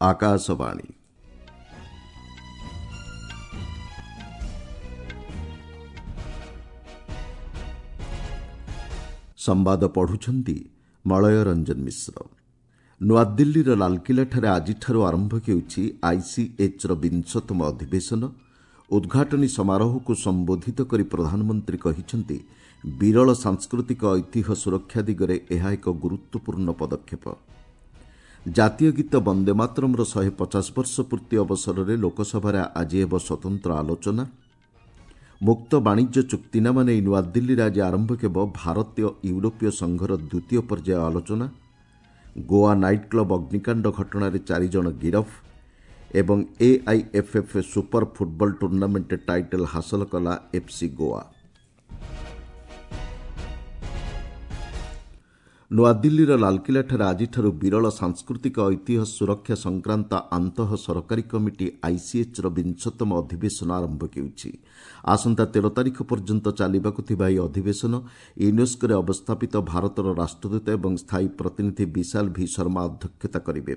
ଆକାଶବାଣୀ। ସମ୍ବାଦ ପଢୁଛନ୍ତି ମଳୟ ରଞ୍ଜନ ମିଶ୍ର। ନୂଆଦିଲ୍ଲୀର ଲାଲକିଲ୍ଲାଠାରେ ଆଜିଠାରୁ ଆରମ୍ଭ ହେଉଛି ଆଇସିଏଚ୍ର ବିଂଶତମ ଅଧିବେଶନ। ଉଦ୍ଘାଟନୀ ସମାରୋହକୁ ସମ୍ବୋଧିତ କରି ପ୍ରଧାନମନ୍ତ୍ରୀ କହିଛନ୍ତି, ବିରଳ ସାଂସ୍କୃତିକ ଐତିହ୍ୟ ସୁରକ୍ଷା ଦିଗରେ ଏହା ଏକ ଗୁରୁତ୍ୱପୂର୍ଣ୍ଣ ପଦକ୍ଷେପ। ଜାତୀୟ ଗୀତ ବନ୍ଦେ ମାତରମ୍ର 150 ବର୍ଷ ପୂର୍ତ୍ତି ଅବସରରେ ଲୋକସଭାରେ ଆଜି ହେବ ସ୍ୱତନ୍ତ୍ର ଆଲୋଚନା। ମୁକ୍ତ ବାଣିଜ୍ୟ ଚୁକ୍ତିନାମା ନେଇ ନୂଆଦିଲ୍ଲୀରେ ଆଜି ଆରମ୍ଭ ହେବ ଭାରତୀୟ ୟୁରୋପୀୟ ସଂଘର ଦ୍ୱିତୀୟ ପର୍ଯ୍ୟାୟ ଆଲୋଚନା। ଗୋଆ ନାଇଟ୍ କ୍ଲବ୍ ଅଗ୍ନିକାଣ୍ଡ ଘଟଣାରେ 4 ଜଣ ଗିରଫ ଏବଂ AIFF super football tournament title ହାସଲ କଲା ଏଫ୍ସି ଗୋଆ। ନୂଆଦିଲ୍ଲୀର ଲାଲକିଲ୍ଲାଠାରେ ଆଜିଠାରୁ ବିରଳ ସାଂସ୍କୃତିକ ଐତିହ୍ୟ ସୁରକ୍ଷା ସଂକ୍ରାନ୍ତ ଆନ୍ତଃ ସରକାରୀ କମିଟି ଆଇସିଏଚ୍ର ବିଂଶତମ ଅଧିବେଶନ ଆରମ୍ଭ ହେଉଛି। ଆସନ୍ତା 13 ତାରିଖ ପର୍ଯ୍ୟନ୍ତ ଚାଲିବାକୁ ଥିବା ଏହି ଅଧିବେଶନ ୟୁନେସ୍କୋରେ ଅବସ୍ଥାପିତ ଭାରତର ରାଷ୍ଟ୍ରଦୂତ ଏବଂ ସ୍ଥାୟୀ ପ୍ରତିନିଧି ବିଶାଲ ଭି ଶର୍ମା ଅଧ୍ୟକ୍ଷତା କରିବେ।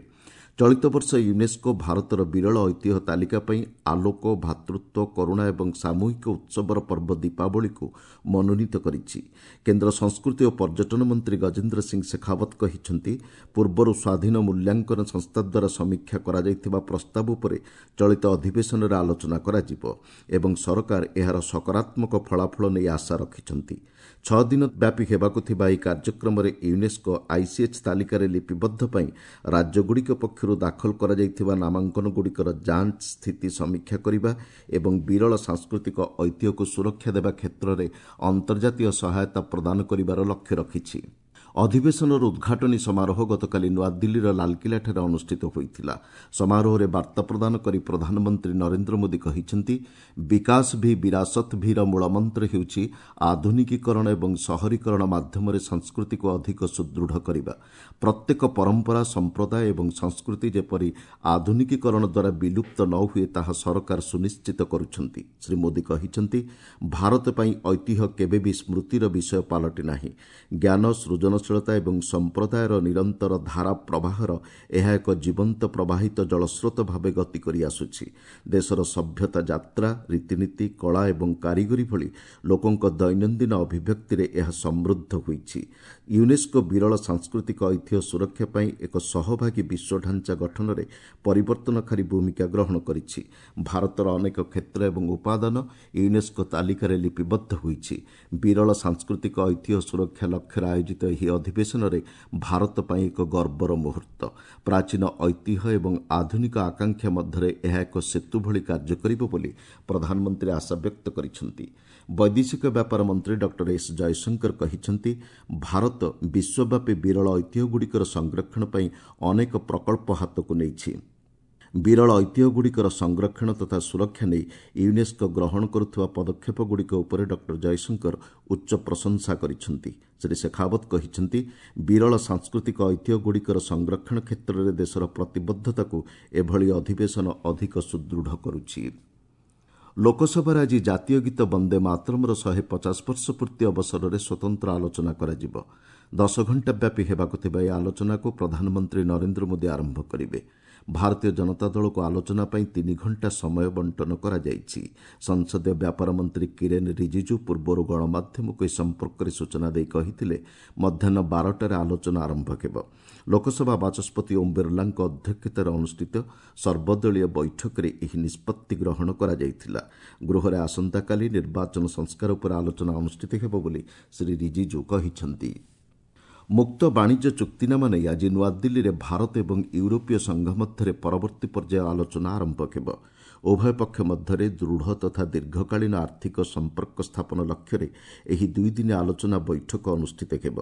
ଚଳିତ ବର୍ଷ ୟୁନେସ୍କୋ ଭାରତର ବିରଳ ଐତିହ୍ୟ ତାଲିକା ପାଇଁ ଆଲୋକ, ଭ୍ରାତୃତ୍ୱ, କରୁଣା ଏବଂ ସାମୂହିକ ଉତ୍ସବର ପର୍ବ ଦୀପାବଳିକୁ ମନୋନୀତ କରିଛି। କେନ୍ଦ୍ର ସଂସ୍କୃତି ଓ ପର୍ଯ୍ୟଟନ ମନ୍ତ୍ରୀ ଗଜେନ୍ଦ୍ର ସିଂ ଶେଖାଓ୍ୱତ କହିଛନ୍ତି, ପୂର୍ବରୁ ସ୍ୱାଧୀନ ମୂଲ୍ୟାଙ୍କନ ସଂସ୍ଥା ଦ୍ୱାରା ସମୀକ୍ଷା କରାଯାଇଥିବା ପ୍ରସ୍ତାବ ଉପରେ ଚଳିତ ଅଧିବେଶନରେ ଆଲୋଚନା କରାଯିବ ଏବଂ ସରକାର ଏହାର ସକାରାତ୍ମକ ଫଳାଫଳ ନେଇ ଆଶା ରଖିଛନ୍ତି। 6 ଦିନ ବ୍ୟାପୀ ହେବାକୁ ଥିବା ଏହି କାର୍ଯ୍ୟକ୍ରମରେ ୟୁନେସ୍କୋ ଆଇସିଏଚ୍ ତାଲିକାରେ ଲିପିବଦ୍ଧ ପାଇଁ ରାଜ୍ୟଗୁଡ଼ିକ ପକ୍ଷରୁ ଦାଖଲ କରାଯାଇଥିବା ନାମାଙ୍କନଗୁଡ଼ିକର ଯାଞ୍ଚ ସ୍ଥିତି ସମୀକ୍ଷା କରିବା ଏବଂ ବିରଳ ସାଂସ୍କୃତିକ ଐତିହ୍ୟକୁ ସୁରକ୍ଷା ଦେବା କ୍ଷେତ୍ରରେ ଅନ୍ତର୍ଜାତୀୟ ସହାୟତା ପ୍ରଦାନ କରିବାର ଲକ୍ଷ୍ୟ ରଖିଛି। ଅଧିବେଶନର ଉଦ୍ଘାଟନୀ ସମାରୋହ ଗତକାଲି ନୂଆଦିଲ୍ଲୀର ଲାଲକିଲ୍ଲାଠାରେ ଅନୁଷ୍ଠିତ ହୋଇଥିଲା। ସମାରୋହରେ ବାର୍ତ୍ତା ପ୍ରଦାନ କରି ପ୍ରଧାନମନ୍ତ୍ରୀ ନରେନ୍ଦ୍ର ମୋଦି କହିଛନ୍ତି, ବିକାଶ ଭି ବିରାସତ ଭିର ମୂଳମନ୍ତ୍ର ହେଉଛି ଆଧୁନିକୀକରଣ ଏବଂ ସହରୀକରଣ ମାଧ୍ୟମରେ ସଂସ୍କୃତିକୁ ଅଧିକ ସୁଦୃଢ଼ କରିବା। ପ୍ରତ୍ୟେକ ପରମ୍ପରା, ସମ୍ପ୍ରଦାୟ ଏବଂ ସଂସ୍କୃତି ଯେପରି ଆଧୁନିକୀକରଣ ଦ୍ୱାରା ବିଲୁପ୍ତ ନ ହୁଏ ତାହା ସରକାର ସୁନିଶ୍ଚିତ କରୁଛନ୍ତି। ଶ୍ରୀ ମୋଦି କହିଛନ୍ତି, ଭାରତ ପାଇଁ ଐତିହ୍ୟ କେବେ ବି ସ୍ମୃତିର ବିଷୟ ପାଲଟି ନାହିଁ। ଜ୍ଞାନ, ସୃଜନଶୀଳତା ଏବଂ ସମ୍ପ୍ରଦାୟର ନିରନ୍ତର ଧାରା ପ୍ରବାହର ଏହା ଏକ ଜୀବନ୍ତ ପ୍ରବାହିତ ଜଳସ୍ରୋତ ଭାବେ ଗତି କରିଆସୁଛି। ଦେଶର ସଭ୍ୟତା ଯାତ୍ରା, ରୀତିନୀତି, କଳା ଏବଂ କାରିଗରୀ ଭଳି ଲୋକଙ୍କ ଦୈନନ୍ଦିନ ଅଭିବ୍ୟକ୍ତିରେ ଏହା ସମୃଦ୍ଧ ହୋଇଛି। ୟୁନେସ୍କୋ ବିରଳ ସାଂସ୍କୃତିକ ଐତିହ୍ୟ ସୁରକ୍ଷା ପାଇଁ ଏକ ସହଭାଗୀ ବିଶ୍ୱ ଢାଞ୍ଚା ଗଠନରେ ପରିବର୍ତ୍ତନକାରୀ ଭୂମିକା ଗ୍ରହଣ କରିଛି। ଭାରତର ଅନେକ କ୍ଷେତ୍ର ଏବଂ ଉପାଦାନ ୟୁନେସ୍କୋ ତାଲିକାରେ ଲିପିବଦ୍ଧ ହୋଇଛି। ବିରଳ ସାଂସ୍କୃତିକ ଐତିହ୍ୟ ସୁରକ୍ଷା ଲକ୍ଷ୍ୟରେ ଆୟୋଜିତ ଏହି ଅଧିବେଶନରେ ଭାରତ ପାଇଁ ଏକ ଗର୍ବର ମୁହୂର୍ତ୍ତ। ପ୍ରାଚୀନ ଐତିହ୍ୟ ଏବଂ ଆଧୁନିକ ଆକାଂକ୍ଷା ମଧ୍ୟରେ ଏହା ଏକ ସେତୁ ଭଳି କାର୍ଯ୍ୟ କରିବ ବୋଲି ପ୍ରଧାନମନ୍ତ୍ରୀ ଆଶାବ୍ୟକ୍ତ କରିଛନ୍ତି। ବୈଦେଶିକ ବ୍ୟାପାର ମନ୍ତ୍ରୀ ଡକ୍ଟର ଏସ୍ ଜୟଶଙ୍କର କହିଛନ୍ତି, ଭାରତ ବିଶ୍ୱବ୍ୟାପୀ ବିରଳ ଐତିହ୍ୟଗୁଡ଼ିକର ସଂରକ୍ଷଣ ପାଇଁ ଅନେକ ପ୍ରକଳ୍ପ ହାତକୁ ନେଇଛି। ବିରଳ ଐତିହ୍ୟଗୁଡ଼ିକର ସଂରକ୍ଷଣ ତଥା ସୁରକ୍ଷା ନେଇ ୟୁନେସ୍କୋ ଗ୍ରହଣ କରୁଥିବା ପଦକ୍ଷେପଗୁଡ଼ିକ ଉପରେ ଡକ୍ଟର ଜୟଶଙ୍କର ଉଚ୍ଚ ପ୍ରଶଂସା କରିଛନ୍ତି। ଶ୍ରୀ ଶେଖାଓ୍ୱତ କହିଛନ୍ତି, ବିରଳ ସାଂସ୍କୃତିକ ଐତିହ୍ୟଗୁଡ଼ିକର ସଂରକ୍ଷଣ କ୍ଷେତ୍ରରେ ଦେଶର ପ୍ରତିବଦ୍ଧତାକୁ ଏଭଳି ଅଧିବେଶନ ଅଧିକ ସୁଦୃଢ଼ କରୁଛି। ଲୋକସଭାରେ ଆଜି ଜାତୀୟ ଗୀତ ବନ୍ଦେ ମାତରମ୍ର 150 ବର୍ଷ ପୂର୍ତ୍ତି ଅବସରରେ ସ୍ୱତନ୍ତ୍ର ଆଲୋଚନା କରାଯିବ। 10 ଘଣ୍ଟା ବ୍ୟାପୀ ହେବାକୁ ଥିବା ଏହି ଆଲୋଚନାକୁ ପ୍ରଧାନମନ୍ତ୍ରୀ ନରେନ୍ଦ୍ର ମୋଦି ଆରମ୍ଭ କରିବେ। ଭାରତୀୟ ଜନତା ଦଳକୁ ଆଲୋଚନା ପାଇଁ 3 ଘଣ୍ଟା ସମୟ ବଣ୍ଟନ କରାଯାଇଛି। ସଂସଦୀୟ ବ୍ୟାପାର ମନ୍ତ୍ରୀ କିରେନ୍ ରିଜିଜୁ ପୂର୍ବରୁ ଗଣମାଧ୍ୟମକୁ ଏ ସମ୍ପର୍କରେ ସୂଚନା ଦେଇ କହିଥିଲେ, ମଧ୍ୟାହ୍ନ 12ଟାରେ ଆଲୋଚନା ଆରମ୍ଭ ହେବ। ଲୋକସଭା ବାଚସ୍ପତି ଓମ୍ ବିର୍ଲାଙ୍କ ଅଧ୍ୟକ୍ଷତାରେ ଅନୁଷ୍ଠିତ ସର୍ବଦଳୀୟ ବୈଠକରେ ଏହି ନିଷ୍ପତ୍ତି ଗ୍ରହଣ କରାଯାଇଥିଲା। ଗୃହରେ ଆସନ୍ତାକାଲି ନିର୍ବାଚନ ସଂସ୍କାର ଉପରେ ଆଲୋଚନା ଅନୁଷ୍ଠିତ ହେବ ବୋଲି ଶ୍ରୀ ରିଜିଜୁ କହିଛନ୍ତି। ମୁକ୍ତ ବାଣିଜ୍ୟ ଚୁକ୍ତିନାମା ନେଇ ଆଜି ନୂଆଦିଲ୍ଲୀରେ ଭାରତ ଏବଂ ୟୁରୋପୀୟ ସଂଘ ମଧ୍ୟରେ ପରବର୍ତ୍ତୀ ପର୍ଯ୍ୟାୟ ଆଲୋଚନା ଆରମ୍ଭ ହେବ। ଉଭୟ ପକ୍ଷ ମଧ୍ୟରେ ଦୃଢ଼ ତଥା ଦୀର୍ଘକାଳୀନ ଆର୍ଥିକ ସମ୍ପର୍କ ସ୍ଥାପନ ଲକ୍ଷ୍ୟରେ ଏହି ଦୁଇଦିନିଆ ଆଲୋଚନା ବୈଠକ ଅନୁଷ୍ଠିତ ହେବ।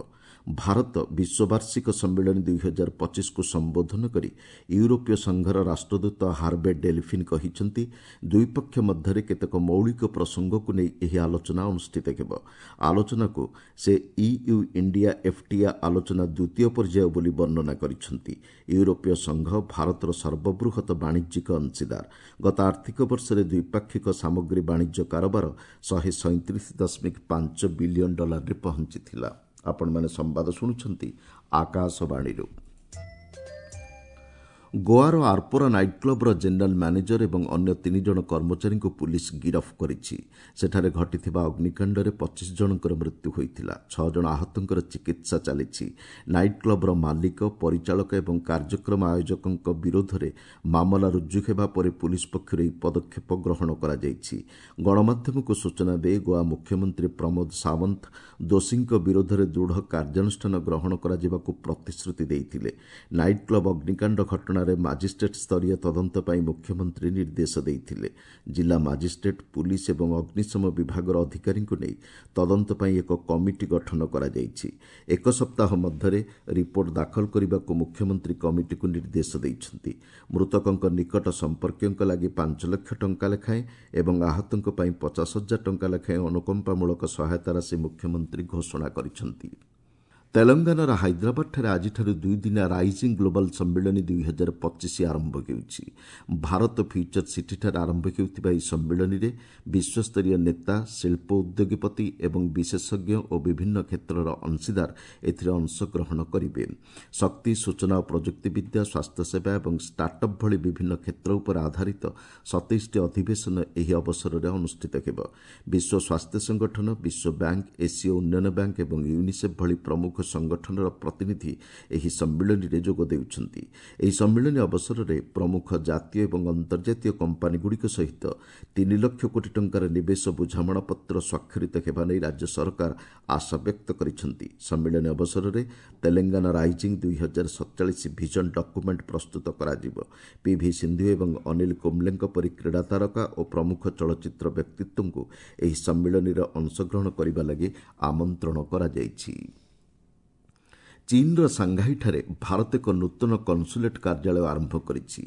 ଭାରତ ବିଶ୍ୱ ବାର୍ଷିକ ସମ୍ମିଳନୀ 2025କୁ ସମ୍ବୋଧନ କରି ୟୁରୋପୀୟ ସଂଘର ରାଷ୍ଟ୍ରଦୂତ ହାର୍ବେ ଡେଲଫିନ୍ କହିଛନ୍ତି, ଦୁଇ ପକ୍ଷ ମଧ୍ୟରେ କେତେକ ମୌଳିକ ପ୍ରସଙ୍ଗକୁ ନେଇ ଏହି ଆଲୋଚନା ଅନୁଷ୍ଠିତ ହେବ। ଆଲୋଚନାକୁ ସେ ଇୟୁ ଇଣ୍ଡିଆ ଏଫ୍ଟିଏ ଆଲୋଚନା ଦ୍ୱିତୀୟ ପର୍ଯ୍ୟାୟ ବୋଲି ବର୍ଣ୍ଣନା କରିଛନ୍ତି। ୟୁରୋପୀୟ ସଂଘ ଭାରତର ସର୍ବବୃହତ ବାଣିଜ୍ୟିକ ଅଂଶୀଦାର। ଗତ ଆର୍ଥିକ ବର୍ଷରେ ଦ୍ୱିପାକ୍ଷିକ ସାମଗ୍ରୀ ବାଣିଜ୍ୟ କାରବାର 137.5 ବିଲିୟନ ଡଲାରରେ ପହଞ୍ଚିଥିଲା। ଆପଣମାନେ ସମ୍ବାଦ ଶୁଣୁଛନ୍ତି ଆକାଶବାଣୀରୁ। ଗୋଆର ଆର୍ପୋରା ନାଇଟ୍ କ୍ଲବ୍ର ଜେନେରାଲ୍ ମ୍ୟାନେଜର ଏବଂ ଅନ୍ୟ 3 ଜଣ କର୍ମଚାରୀଙ୍କୁ ପୁଲିସ୍ ଗିରଫ କରିଛି। ସେଠାରେ ଘଟିଥିବା ଅଗ୍ନିକାଣ୍ଡରେ 25 ଜଣଙ୍କର ମୃତ୍ୟୁ ହୋଇଥିଲା। 6 ଜଣ ଆହତଙ୍କର ଚିକିତ୍ସା ଚାଲିଛି। ନାଇଟ୍ କ୍ଲବ୍ର ମାଲିକ, ପରିଚାଳକ ଏବଂ କାର୍ଯ୍ୟକ୍ରମ ଆୟୋଜକଙ୍କ ବିରୋଧରେ ମାମଲା ରୁଜୁ ହେବା ପରେ ପୁଲିସ୍ ପକ୍ଷରୁ ଏହି ପଦକ୍ଷେପ ଗ୍ରହଣ କରାଯାଇଛି। ଗଣମାଧ୍ୟମକୁ ସୂଚନା ଦେଇ ଗୋଆ ମୁଖ୍ୟମନ୍ତ୍ରୀ ପ୍ରମୋଦ ସାୱନ୍ତ ଦୋଷୀଙ୍କ ବିରୋଧରେ ଦୃଢ଼ କାର୍ଯ୍ୟାନୁଷ୍ଠାନ ଗ୍ରହଣ କରାଯିବାକୁ ପ୍ରତିଶ୍ରୁତି ଦେଇଥିଲେ। ନାଇଟ୍ କ୍ଲବ୍ ଅଗ୍ନିକାଣ୍ଡ ଘଟଣାରେ ମାଜିଷ୍ଟ୍ରେଟ୍ ସ୍ତରୀୟ ତଦନ୍ତ ପାଇଁ ମୁଖ୍ୟମନ୍ତ୍ରୀ ନିର୍ଦ୍ଦେଶ ଦେଇଥିଲେ। ଜିଲ୍ଲା ମାଜିଷ୍ଟ୍ରେଟ୍, ପୁଲିସ୍ ଏବଂ ଅଗ୍ନିଶମ ବିଭାଗର ଅଧିକାରୀଙ୍କୁ ନେଇ ତଦନ୍ତ ପାଇଁ ଏକ କମିଟି ଗଠନ କରାଯାଇଛି। 1 ସପ୍ତାହ ମଧ୍ୟରେ ରିପୋର୍ଟ ଦାଖଲ କରିବାକୁ ମୁଖ୍ୟମନ୍ତ୍ରୀ କମିଟିକୁ ନିର୍ଦ୍ଦେଶ ଦେଇଛନ୍ତି। ମୃତକଙ୍କ ନିକଟ ସମ୍ପର୍କୀୟଙ୍କ ଲାଗି 5 ଲକ୍ଷ ଟଙ୍କା ଲେଖାଏଁ ଏବଂ ଆହତଙ୍କ ପାଇଁ 50,000 ଟଙ୍କା ଲେଖାଏଁ ଅନୁକମ୍ପାମୂଳକ ସହାୟତା ରାଶି ମୁଖ୍ୟମନ୍ତ୍ରୀ ଘୋଷଣା କରିଛନ୍ତି। ତେଲଙ୍ଗାନାର ହାଇଦ୍ରାବାଦଠାରେ ଆଜିଠାରୁ 2 ଦିନିଆ ରାଇଜିଂ ଗ୍ଲୋବାଲ୍ ସମ୍ମିଳନୀ 2025 ଆରମ୍ଭ ହେଉଛି। ଭାରତ ଫ୍ୟୁଚର ସିଟିଠାରେ ଆରମ୍ଭ ହେଉଥିବା ଏହି ସମ୍ମିଳନୀରେ ବିଶ୍ୱସ୍ତରୀୟ ନେତା, ଶିଳ୍ପ ଉଦ୍ୟୋଗପତି ଏବଂ ବିଶେଷଜ୍ଞ ଓ ବିଭିନ୍ନ କ୍ଷେତ୍ରର ଅଂଶୀଦାର ଏଥିରେ ଅଂଶଗ୍ରହଣ କରିବେ। ଶକ୍ତି, ସୂଚନା ଓ ପ୍ରଯୁକ୍ତିବିଦ୍ୟା, ସ୍ୱାସ୍ଥ୍ୟସେବା ଏବଂ ଷ୍ଟାର୍ଟଅପ୍ ଭଳି ବିଭିନ୍ନ କ୍ଷେତ୍ର ଉପରେ ଆଧାରିତ 27ଟି ଅଧିବେଶନ ଏହି ଅବସରରେ ଅନୁଷ୍ଠିତ ହେବ। ବିଶ୍ୱ ସ୍ୱାସ୍ଥ୍ୟ ସଂଗଠନ, ବିଶ୍ୱ ବ୍ୟାଙ୍କ, ଏସୀୟ ଉନ୍ନୟନ ବ୍ୟାଙ୍କ ଏବଂ ୟୁନିସେଫ୍ ଭଳି ପ୍ରମୁଖ ସଂଗଠନର ପ୍ରତିନିଧି ଏହି ସମ୍ମିଳନୀରେ ଯୋଗ ଦେଉଛନ୍ତି। ଏହି ସମ୍ମିଳନୀ ଅବସରରେ ପ୍ରମୁଖ ଜାତୀୟ ଏବଂ ଅନ୍ତର୍ଜାତୀୟ କମ୍ପାନୀଗୁଡ଼ିକ ସହିତ 3 ଲକ୍ଷ କୋଟି ଟଙ୍କାର ନିବେଶ ବୁଝାମଣାପତ୍ର ସ୍ୱାକ୍ଷରିତ ହେବା ନେଇ ରାଜ୍ୟ ସରକାର ଆଶା ବ୍ୟକ୍ତ କରିଛନ୍ତି। ସମ୍ମିଳନୀ ଅବସରରେ ତେଲେଙ୍ଗାନା ରାଇଜିଂ 2047 ଭିଜନ ଡକ୍ୟୁମେଣ୍ଟ ପ୍ରସ୍ତୁତ କରାଯିବ। ପିଭି ସିନ୍ଧୁ ଏବଂ ଅନିଲ କୁମ୍ବଲେଙ୍କ ପରି କ୍ରୀଡ଼ା ତାରକା ଓ ପ୍ରମୁଖ ଚଳଚ୍ଚିତ୍ର ବ୍ୟକ୍ତିତ୍ୱଙ୍କୁ ଏହି ସମ୍ମିଳନୀରେ ଅଂଶଗ୍ରହଣ କରିବା ଲାଗି ଆମନ୍ତ୍ରଣ କରାଯାଇଛି। ଚୀନ୍ର ସାଂଘାଇଠାରେ ଭାରତ ଏକ ନୂତନ କନସୁଲେଟ୍ କାର୍ଯ୍ୟାଳୟ ଆରମ୍ଭ କରିଛି।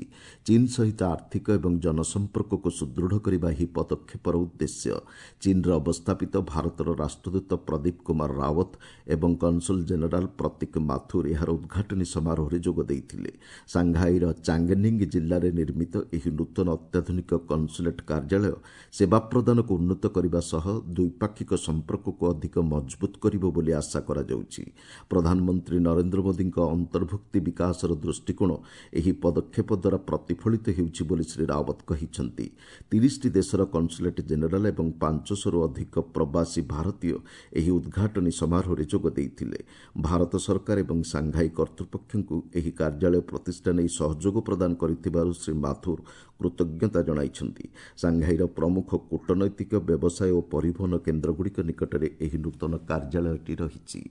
ଚୀନ୍ ସହିତ ଆର୍ଥିକ ଏବଂ ଜନସମ୍ପର୍କକୁ ସୁଦୃଢ଼ କରିବା ଏହି ପଦକ୍ଷେପର ଉଦ୍ଦେଶ୍ୟ। ଚୀନ୍ରେ ଅବସ୍ଥାପିତ ଭାରତର ରାଷ୍ଟ୍ରଦୂତ ପ୍ରଦୀପ କୁମାର ରାୱତ ଏବଂ କନସୁଲ ଜେନେରାଲ ପ୍ରତୀକ ମାଥୁର ଏହାର ଉଦ୍ଘାଟନୀ ସମାରୋହରେ ଯୋଗ ଦେଇଥିଲେ। ସାଂଘାଇର ଚାଙ୍ଗନିଙ୍ଗ ଜିଲ୍ଲାରେ ନିର୍ମିତ ଏହି ନୂତନ ଅତ୍ୟାଧୁନିକ କନସୁଲେଟ୍ କାର୍ଯ୍ୟାଳୟ ସେବା ପ୍ରଦାନକୁ ଉନ୍ନତ କରିବା ସହ ଦ୍ୱିପାକ୍ଷିକ ସମ୍ପର୍କକୁ ଅଧିକ ମଜବୁତ କରିବ ବୋଲି ଆଶା କରାଯାଉଛି। ପ୍ରଧାନମନ୍ତ୍ରୀ ନରେନ୍ଦ୍ର ମୋଦିଙ୍କ ଅନ୍ତର୍ଭୁକ୍ତି ବିକାଶର ଦୃଷ୍ଟିକୋଣ ଏହି ପଦକ୍ଷେପ ଦ୍ୱାରା ପ୍ରତିଫଳିତ ହେଉଛି ବୋଲି ଶ୍ରୀ ରାୱତ କହିଛନ୍ତି। 30ଟି ଦେଶର କନସୁଲେଟ୍ ଜେନେରାଲ ଏବଂ 500ରୁ ଅଧିକ ପ୍ରବାସୀ ଭାରତୀୟ ଏହି ଉଦ୍ଘାଟନୀ ସମାରୋହରେ ଯୋଗ ଦେଇଥିଲେ। ଭାରତ ସରକାର ଏବଂ ସାଂଘାଇ କର୍ତ୍ତୃପକ୍ଷଙ୍କୁ ଏହି କାର୍ଯ୍ୟାଳୟ ପ୍ରତିଷ୍ଠା ନେଇ ସହଯୋଗ ପ୍ରଦାନ କରିଥିବାରୁ ଶ୍ରୀ ମାଥୁର କୃତଜ୍ଞତା ଜଣାଇଛନ୍ତି। ସାଂଘାଇର ପ୍ରମୁଖ କୂଟନୈତିକ, ବ୍ୟବସାୟ ଓ ପରିବହନ କେନ୍ଦ୍ରଗୁଡ଼ିକ ନିକଟରେ ଏହି ନୂତନ କାର୍ଯ୍ୟାଳୟଟି ରହିଛି।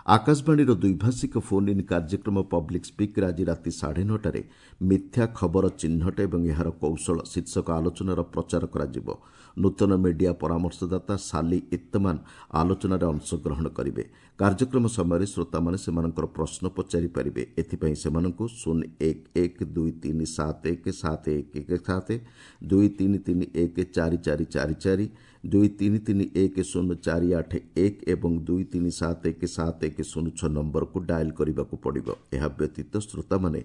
ଆକାଶବାଣୀର ଦ୍ୱିଭାଷିକ ଫୋନ୍ ଇନ୍ କାର୍ଯ୍ୟକ୍ରମ ପବ୍ଲିକ୍ ସ୍ପିକ୍ରେ ଆଜି ରାତି 9:30ରେ ମିଥ୍ୟା ଖବର ଚିହ୍ନଟ ଏବଂ ଏହାର କୌଶଳ ଶୀର୍ଷକ ଆଲୋଚନାର ପ୍ରଚାର କରାଯିବ। ନୂତନ ମିଡିଆ ପରାମର୍ଶଦାତା ସାଲି ଇତ୍ତମାନ ଆଲୋଚନାରେ ଅଂଶଗ୍ରହଣ କରିବେ। କାର୍ଯ୍ୟକ୍ରମ ସମୟରେ ଶ୍ରୋତାମାନେ ସେମାନଙ୍କର ପ୍ରଶ୍ନ ପଚାରିପାରିବେ। ଏଥିପାଇଁ ସେମାନଙ୍କୁ 0 1 1 2 3 7 1 7 1 1 7, 2 3 3 1 4 4 4 4, 2 3 3 1 0 4 8 1 ଏବଂ 2 3 7 1 7 1 0 6 ନମ୍ବରକୁ ଡାଏଲ୍ କରିବାକୁ ପଡ଼ିବ। ଏହା ବ୍ୟତୀତ ଶ୍ରୋତାମାନେ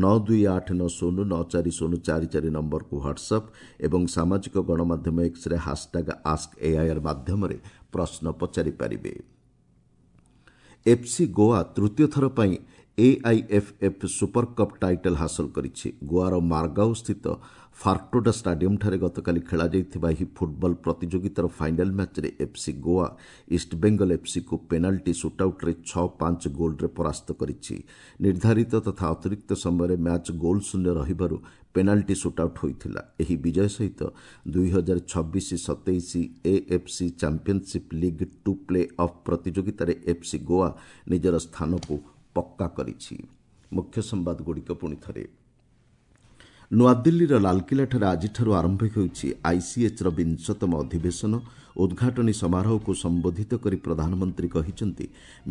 9 2 8 9 0 9 4 0 4 4 ନମ୍ବରକୁ ହ୍ୱାଟ୍ସଆପ୍ ଏବଂ ସାମାଜିକ ଗଣମାଧ୍ୟମ ଏକ୍ସରେ ହାସଟ୍ୟାଗ୍ ଆସ୍କ ଏଆଇଆର୍ ମାଧ୍ୟମରେ ପ୍ରଶ୍ନ ପଚାରିପାରିବେ। ଏଫ୍ସି ଗୋଆ ତୃତୀୟ ଥର ପାଇଁ ଏଆଇଏଫ୍ଏଫ୍ ସୁପର କପ୍ ଟାଇଟଲ୍ ହାସଲ କରିଛି। ଗୋଆର ମାର୍ଗାଓ ସ୍ଥିତ ଫାର୍ଟୋଡା ଷ୍ଟାଡିୟମ୍ଠାରେ ଗତକାଲି ଖେଳାଯାଇଥିବା ଏହି ଫୁଟବଲ ପ୍ରତିଯୋଗିତାର ଫାଇନାଲ୍ ମ୍ୟାଚ୍ରେ ଏଫ୍ସି ଗୋଆ ଇଷ୍ଟବେଙ୍ଗଲ ଏଫ୍ସିକୁ ପେନାଲ୍ଟି ସୁଟ୍ଆଉଟ୍ରେ 6-5 ଗୋଲ୍ରେ ପରାସ୍ତ କରିଛି। ନିର୍ଦ୍ଧାରିତ ତଥା ଅତିରିକ୍ତ ସମୟରେ ମ୍ୟାଚ୍ ଗୋଲ୍ ଶୂନ୍ୟ ରହିବାରୁ ପେନାଲ୍ଟି ସୁଟ୍ଆଉଟ୍ ହୋଇଥିଲା। ଏହି ବିଜୟ ସହିତ 2026-27 AFC championship league 2 play off ପ୍ରତିଯୋଗିତାରେ ଏଫ୍ସି ଗୋଆ ନିଜର ସ୍ଥାନକୁ ପକ୍କା କରିଛି। ମୁଖ୍ୟ ସମ୍ବାଦଗୁଡ଼ିକ ପୁଣି ଥରେ। ନୂଆଦିଲ୍ଲୀର ଲାଲକିଲ୍ଲାଠାରେ ଆଜିଠାରୁ ଆରମ୍ଭ ହେଉଛି ଆଇସିଏଚ୍ର 20ତମ ଅଧିବେଶନ। ଉଦ୍ଘାଟନୀ ସମାରୋହକୁ ସମ୍ବୋଧିତ କରି ପ୍ରଧାନମନ୍ତ୍ରୀ କହିଛନ୍ତି,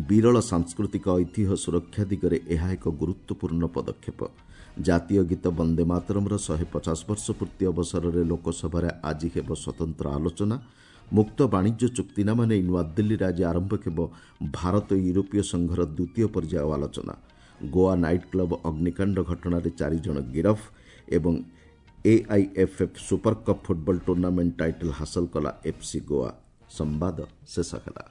ବିରଳ ସାଂସ୍କୃତିକ ଐତିହ୍ୟ ସୁରକ୍ଷା ଦିଗରେ ଏହା ଏକ ଗୁରୁତ୍ୱପୂର୍ଣ୍ଣ ପଦକ୍ଷେପ। ଜାତୀୟ ଗୀତ ବନ୍ଦେ ମାତରମ୍ର 150 ବର୍ଷ ପୂର୍ତ୍ତି ଅବସରରେ ଲୋକସଭାରେ ଆଜି ହେବ ସ୍ୱତନ୍ତ୍ର ଆଲୋଚନା। ମୁକ୍ତ ବାଣିଜ୍ୟ ଚୁକ୍ତିନାମା ନେଇ ନୂଆଦିଲ୍ଲୀରେ ଆଜି ଆରମ୍ଭ ହେବ ଭାରତ ୟୁରୋପୀୟ ସଂଘର ଦ୍ୱିତୀୟ ପର୍ଯ୍ୟାୟ ଆଲୋଚନା। ଗୋଆ ନାଇଟ୍ କ୍ଲବ୍ ଅଗ୍ନିକାଣ୍ଡ ଘଟଣାରେ 4 ଜଣ ଗିରଫ ଏବଂ AIFF super cup football tournament title ହାସଲ କଲା ଏଫ୍ସି ଗୋଆ। ସମ୍ବାଦ ଶେଷ ହେଲା।